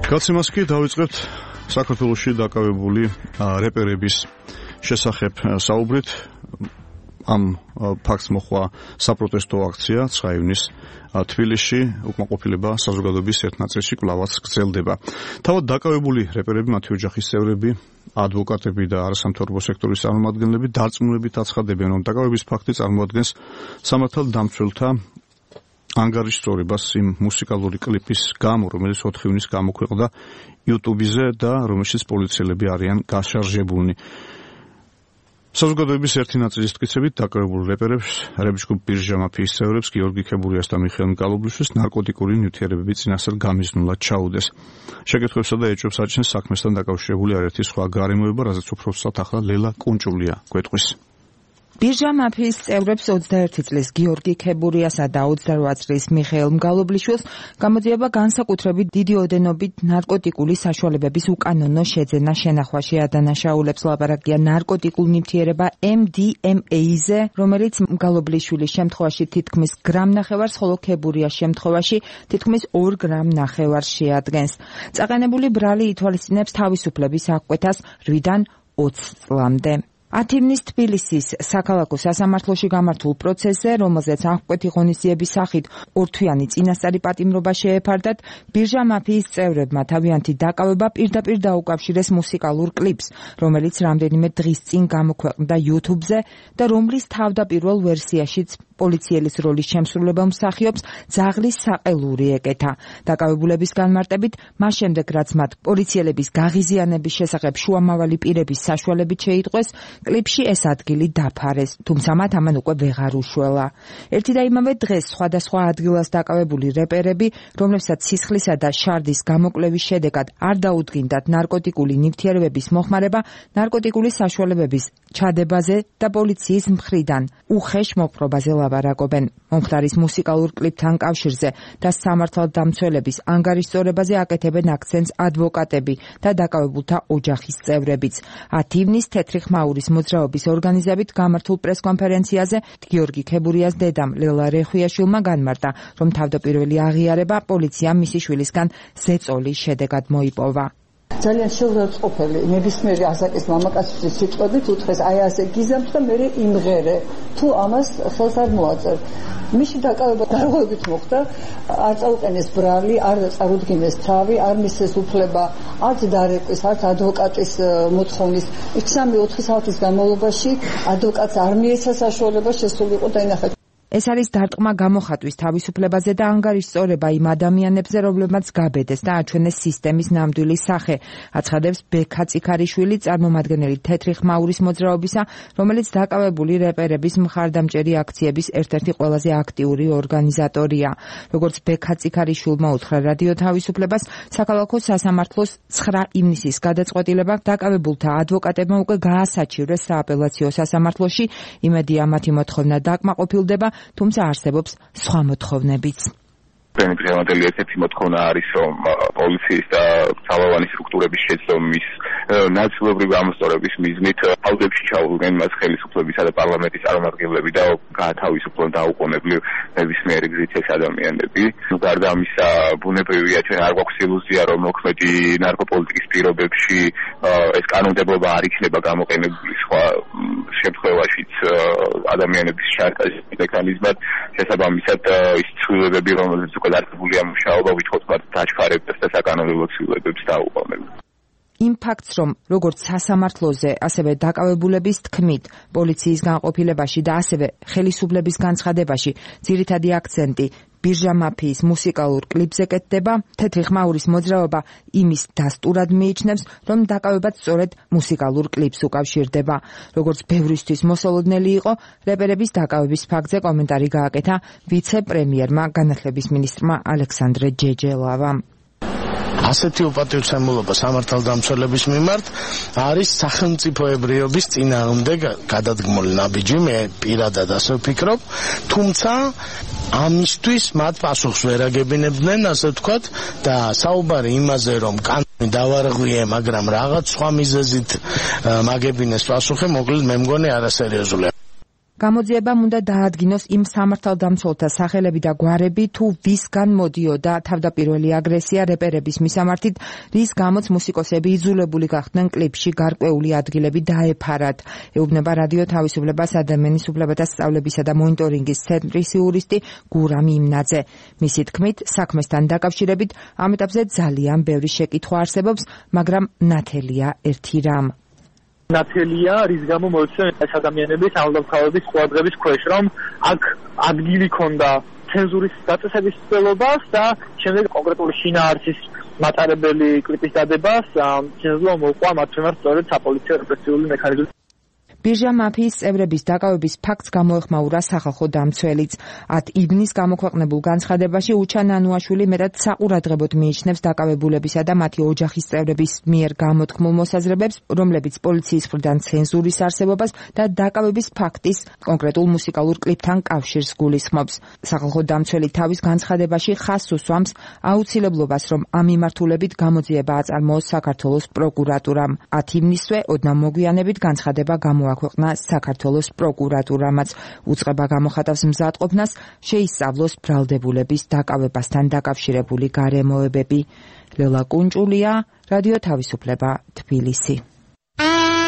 გაცემას კი დავიწყებთ საქართველოში დაკავებული რეპერების შესახებ საუბრით. ამ ფაქტს მოხდა საპროტესტო აქცია 9 ივნისს თბილისში, უკმაყოფილება საზოგადოების ერთ ნაწილში კვლავაც გრძელდება. თავად დაკავებული რეპერები, მათი ოჯახის წევრები, ადვოკატები და არასამთავრობო სექტორის წარმომადგენლები დარწმუნებით აცხადებენ, რომ დაკავების ფაქტი წარმოადგენს სამართალდამცველთა ანგარიშწორებას იმ მუსიკალური კლიპის გამო, რომელიც 4 ივნისს გამოქვეყნდა YouTube-ზე და რომელშიც პოლიციელები არიან გაშარჟებულნი. საზოგადოების ერთი ნაწილის მტკიცებით დაკავებულ რეპერებს, რეპ-ჯგუფ ბირჟა მაფიის წევრებს, გიორგი ქებურიას და მიხეილ მკალობლიშვილს ნარკოტიკული ნივთიერებები წინასწარ გამიზნულად ჩაუდეს. შეკითხვებსა და ეჭვებს აჩენს საქმესთან დაკავშირებული არაერთი სხვა გარემოება, რაზეც უფრო ვსვათ ახლა ლელა კუნჭულია გვეტყვის. ბირჟა მაფიის წევრებს 21 წლის გიორგი ქებურიასა და 28 წლის მიხეილ მგალობლიშვილს გამოძიება განსაკუთრებით დიდი ოდენობით ნარკოტიკული საშუალებების უკანონო შეძენა შენახვაში ადანაშაულებს. ლაპარაკია ნარკოტიკულ ნივთიერება MDMA-ზე, რომელიც მგალობლიშვილის შემთხვევაში თითქმის გრამ-ნახევარს, ხოლო ქებურიას შემთხვევაში თითქმის 2 გრამ-ნახევარს შეადგენს. წაყენებული ბრალი ითვალისწინებს თავისუფლების აღკვეთას 8-დან 20 წლამდე. 10 ივნისს თბილისის საქალაქო სასამართლოში გამართულ პროცესზე, რომელზეც აღკვეთი ღონისძიების სახით ორთვიანი წინასწარი პატიმრობა შეეფარდათ, ბირჟა მაფიის წევრებმა თავიანთი დაკავება პირდაპირ დაუკავშირეს მუსიკალურ კლიპს, რომელიც რამდენიმე დღის წინ გამოქვეყნდა YouTube-ზე და რომლის თავდაპირველ ვერსიაშიც პოლიციელის როლის შემსრულებელ მსახიობს ძაღლის საყელური ეკეთა. დაკავებულების განმარტებით, მას შემდეგ რაც მათ პოლიციელების გაღიზიანების შესახებ შუამავალი პირების საშუალებით შეიტყვეს, კლიპში ეს ადგილი დაფარეს, თუმცა მათ ამან უკვე ვეღარ უშველა. ერთი და იმავე დღეს სხვადასხვა ადგილას დაკავებული რეპერები, რომლებსაც სისხლისა და შარდის გამოკვლევის შედეგად არ დაუდგინდათ ნარკოტიკული ნივთიერებების მოხმარება, ნარკოტიკული საშუალებების ჩადებაზე და პოლიციის მხრიდან უხეშ მოპყრობაზე ლაპარაკობენ. მომხდარის მუსიკალურ კლიპთან კავშირზე და სამართალდამცველების ანგარიშწორებაზე აკეთებენ აქცენტს ადვოკატები და დაკავებულთა ოჯახის წევრებიც. 10 ივნისს თეთრი ხმაურის მოძრაობის ორგანიზებით გამართულ პრესკონფერენციაზე გიორგი ქებურიას დედამ ლელა რეხვიაშვილმა განმარტა, რომ თავდაპირველი აღიარება პოლიციამ მისი შვილისგან ზეწოლის შედეგად მოიპოვა. ძალიან შეურაცხყოფელი ნებისმიერი ასაკის მამაკაცის სიტყვებით უთხრეს აი ასე გიზამთ და მე იმღერე თუ ამას ხელს არ მოაწერ. მისი დაკავება დარღვევით მოხდა, არ წაუყენეს ბრალი, არ წარუდგინეს თავი, არ მისცეს უფლება არც დარეკვის, არც ადვოკატის მოთხოვნის. 3-4 საათის განმავლობაში ადვოკატს არ მიეცა საშუალება შესულიყო და ინახა. ეს არის დარტყმა გამოხატვის თავისუფლებაზე და ანგარიშწორება იმ ადამიანებზე, რომლებმაც გაბედეს და აჩვენეს სისტემის ნამდვილი სახე, აცხადებს ბექა წიქარიშვილი, წარმომადგენელი თეთრი ხმაურის მოძრაობისა, რომელიც დაკავებული რეპერების მხარდამჭერი აქციების ერთ-ერთი ყველაზე აქტიური ორგანიზატორია. როგორც ბექა წიქარიშვილმა უთხრა რადიო თავისუფლებას, საქალაქო სასამართლოს 9 ივნისის გადაწყვეტილება დაკავებულთა ადვოკატებმა უკვე გაასაჩივრეს სააპელაციო სასამართლოში, იმედია მათი მოთხოვნა დაკმაყოფილდება, თუმცა არსებობს სხვა მოთხოვნებიც. პრემიერ ერთ-ერთი მოთხოვნა არის, რომ პოლიციის და ძალოვანი სტრუქტურების შეცდომის ნაწილობრივი ამოსწორების მიზნით აუდებში ჩაუდგნენ მას ხელისუფლებისა და პარლამენტის წარმომადგენლები და გაათავისუფლონ დაუყოვნებლივ ნებისმიერი გზით ეს ადამიანები. გარდა ამისა, ბუნებრივია, ჩვენ არ გვაქვს ილუზია, რომ მოქმედი ნარკოპოლიტიკის პირობებში ეს კანონმდებლობა არ იქნება გამოყენებული სხვა შემთხვევაშიც ადამიანების შანტაჟის მექანიზმად. შესაბამისად, ის ცვლილებები, რომელიც უკვე დარწმუნებულია მუშაობა, ვითხოვთ მათ დაჩქარებდეს და საკანონმდებლო ცვლილებებს დაუყოვნებლივ. იმ ფაქტს, რომ როგორც სასამართლოზე, ასევე დაკავებულების თქმით, პოლიციის განყოფილებაში და ასევე ხელისუფლების განცხადებაში ძირითადი აქცენტი ბირჟა მაფიის მუსიკალურ კლიპზე კეთდება, თეთრი ხმაურის მოძრაობა იმის დასტურად მიიჩნევს, რომ დაკავებაც სწორედ მუსიკალურ კლიპს უკავშირდება. როგორც ბევრისთვის მოსალოდნელი იყო, რეპერების დაკავების ფაქტზე კომენტარი გააკეთა ვიცე-პრემიერმა, განათლების მინისტრმა ალექსანდრე ჯეჯელავამ. ასეთი უპატივცემულობა სამართალდამცველების მიმართ არის სახელმწიფოებრიობის წინააღმდეგ გადადგმული ნაბიჯი, მე პირადად ასე ვფიქრობ, თუმცა ამისთვის მათ პასუხს ვერ აგებინებდნენ, ასე ვთქვათ, და საუბარი იმაზე, რომ კანონი დავარღვიე, მაგრამ რაღაც სხვა მიზეზით მაგებინეს პასუხი, მოკლედ მე მგონი არასერიოზულია. გამოძიებამ უნდა დაადგინოს იმ სამართალდამცველთა სახელები და გვარები, თუ ვისგან მოდიოდა თავდაპირველი აგრესია რეპერების მისამართით, რის გამოც მუსიკოსები იძულებული გახდნენ კლიპში გარკვეული ადგილები დაეფარათ. ეუბნება რადიო თავისუფლებას ადამიანის უფლებათა სწავლებისა და მონიტორინგის ცენტრის იურისტი გურამ იმნაძე. მისი თქმით, საქმესთან დაკავშირებით ამ ეტაპზე ძალიან ბევრი შეკითხვა არსებობს, მაგრამ ნათელია ერთი რამ. ნათელია, რის გამო მოიცემ ეს ადამიანების ამბავების ყურადღების ქვეშ, რომ აქ ადგილი ქონდა ცენზურის დაწესების ცდილობას და შემდეგ კონკრეტული შინაარსის მატარებელი კლიპის დადებას ცენზურა მოუყვა მათ მიმართ სწორედ საპოლიციო რეპრესიული მექანიზმით. ბირჟა მაფიის წევრების დაკავების ფაქტს გამოეხმაურა სახალხო დამცველიც. 10 ივნის გამოქვეყნებულ განცხადებაში უჩა ნანუაშვილი მეტად საყურადღებოდ მიიჩნევს დაკავებულებისა და მათი ოჯახის წევრების მიერ გამოთქმულ მოსაზრებებს, რომლებიც პოლიციის მხრიდან ცენზურის არსებობას და დაკავების ფაქტის კონკრეტულ მუსიკალურ კლიპთან კავშირს გულისხმობს. სახალხო დამცველი თავის განცხადებაში ხაზს უსვამს აუცილებლობას, რომ ამ მიმართულებით გამოძიება აწარმოოს საქართველოს პროკურატურამ. 10 ივნისვე ოდნავ მოგვიანებით განცხადება აქვეყნა საქართველოს პროკურატურამაც. უწყება გამოხატავს მზადყოფნას შეისწავლოს ბრალდებულების დაკავებასთან დაკავშირებული გარემოებები. ლელა კუნჭულია, რადიო თავისუფლება, თბილისი.